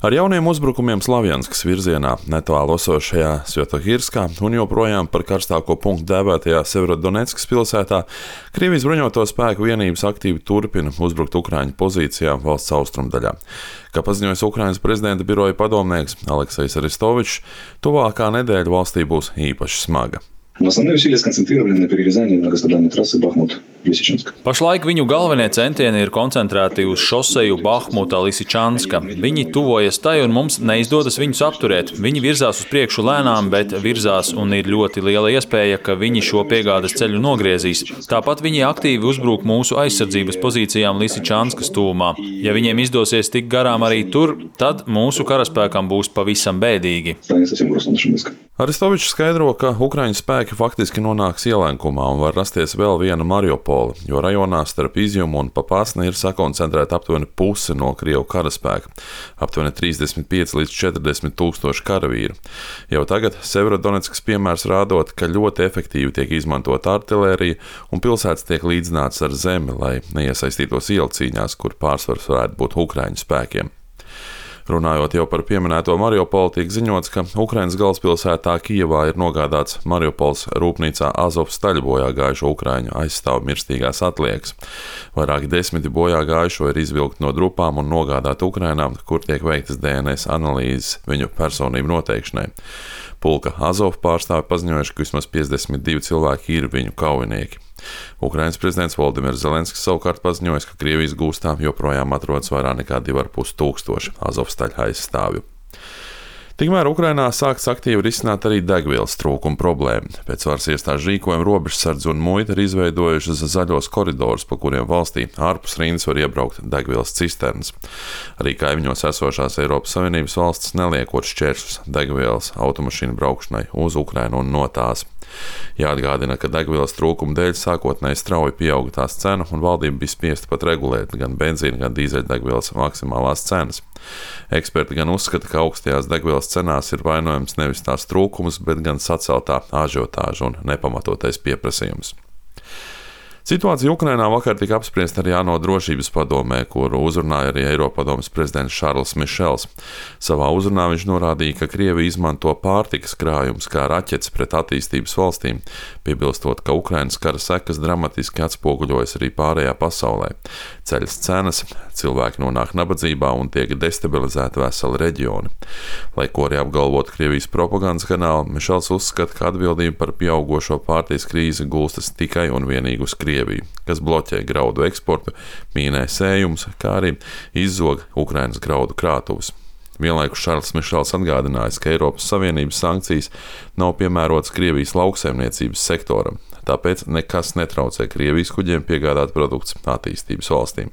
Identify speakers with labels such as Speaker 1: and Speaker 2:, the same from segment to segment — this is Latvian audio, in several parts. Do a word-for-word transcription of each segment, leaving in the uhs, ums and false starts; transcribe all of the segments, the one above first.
Speaker 1: Ar jauniem uzbrukumiem Slavjanskas virzienā, netālu esošajā Svjatohirskā un joprojām par karstāko punktu dēvētajā Severodoneckas pilsētā, Krievijas bruņoto spēku vienības aktīvi turpina uzbrukt Ukraiņu pozīcijām valsts austrumdaļā. Kā paziņojis Ukrainas prezidenta biroja padomnieks Aleksejs Arestovičs, tuvākā nedēļa valstī būs īpaši smaga.
Speaker 2: Основные усилия сконцентрированы на перерезании многострадальной трассы Бахмут-Лисичанск.
Speaker 3: Pašlaik viņu galvenie centieni ir koncentrēti uz šoseju Bahmuta-Lisičanska. Viņi tuvojas tai un mums neizdodas viņus apturēt. Viņi virzās uz priekšu lēnām, bet virzās un ir ļoti liela iespēja, ka viņi šo piegādes ceļu nogriezīs. Tāpat viņi aktīvi uzbrūk mūsu aizsardzības pozīcijām Lisičanskas tuvumā. Ja viņiem izdosies tikt garām arī tur, tad mūsu karaspēkam būs pavisam bēdīgi.
Speaker 1: Arestovičs skaidro, ka Ukraiņu spēki faktiski nonāks ielenkumā un var rasties vēl viena Mariupola, jo rajonā starp Izjumu un Papasni ir sakoncentrēta aptuveni puse no Krievu karaspēka – aptuveni trīsdesmit pieci līdz četrdesmit tūkstoši karavīru. Jau tagad Severodoneckas piemērs rādot, ka ļoti efektīvi tiek izmantota artilērija un pilsētas tiek līdzināts ar zemi, lai neiesaistītos ielu cīņās, kur pārsvars varētu būt Ukraiņu spēkiem. Runājot jau par pieminēto Mariupolu, tiek ziņots, ka Ukrainas galvaspilsētā Kijevā ir nogādāts Mariupols rūpnīcā Azovstaļa bojā gājušo Ukraiņu aizstāvu mirstīgās atliekas. Vairāki desmiti bojā gājušo ir izvilkti no drupām un nogādāti Ukrainā, kur tiek veiktas D N S analīzes viņu personību noteikšanai. Pulka Azov pārstāvi paziņojuši, ka vismaz piecdesmit divi cilvēki ir viņu kaujinieki. Ukrainas prezidents Voldimirs Zelenskis savukārt paziņojis, ka Krievijas gūstā joprojām atrodas vairāk nekā divi ar pus tūkstoši Azovstaļa aizstāvju. Tikmēr Ukrainā sākts aktīvi risināt arī degvielas trūkuma problēmu. Pēc varas iestāžu rīkojuma robežsardze un muita ir izveidojušas zaļos koridorus, pa kuriem valstī ārpus rindas var iebraukt degvielas cisternas. Arī kaimiņos esošās Eiropas Savienības valstis neliekot šķēršļus degvielas automašīnu braukšanai uz Ukrainu un no tās. Jāatgādina, ka degvielas trūkuma dēļ sākotnēji strauji pieauga tās cena un valdība bija spiesta pat regulēt gan benzīna, gan dīzeļdegvielas maksimālās cenas. Eksperti gan uzskata, ka augstajās degvielas cenās ir vainojams nevis tās trūkums, bet gan saceltā ažiotāža un nepamatotais pieprasījums. Situācija Ukrainā vakar tika apspriesta arī ANO drošības padomē, kuru uzrunāja arī Eiropadomes prezidents Šarls Mišels. Savā uzrunā viņš norādīja, ka Krievija izmanto pārtikas krājumus kā raķetes pret attīstības valstīm, piebilstot, ka Ukrainas kara sekas dramatiski atspoguļojas arī pārējā pasaulē. Ceļas cenas, cilvēki nonāk nabadzībā un tiek destabilizēti veseli reģioni. Lai ko arī apgalvotu Krievijas propagandas kanāli, Mišels uzskata, ka atbildība par pieaugošo pārtikas krīzi gulstas tikai un vienīgi uz Krieviju, kas bloķē graudu eksportu, mīnē sējumus, kā arī izzog Ukrainas graudu krātuves. Vienlaikus Šarls Mišels atgādinājis, ka Eiropas Savienības sankcijas nav piemērotas Krievijas lauksaimniecības sektoram, tāpēc nekas netraucē Krievijas kuģiem piegādāt produktus attīstības valstīm.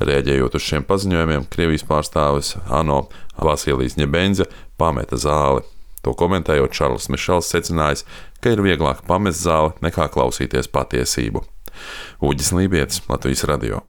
Speaker 1: Rēģējot uz šiem paziņojumiem, Krievijas pārstāvis ANO Vasilijs Ņebenzja pameta zāli. To komentējot, Šarls Mišels secinājis, ka ir vieglāk pamest zāli nekā klausīties patiesību. Uģis Lībietis, Latvijas radio.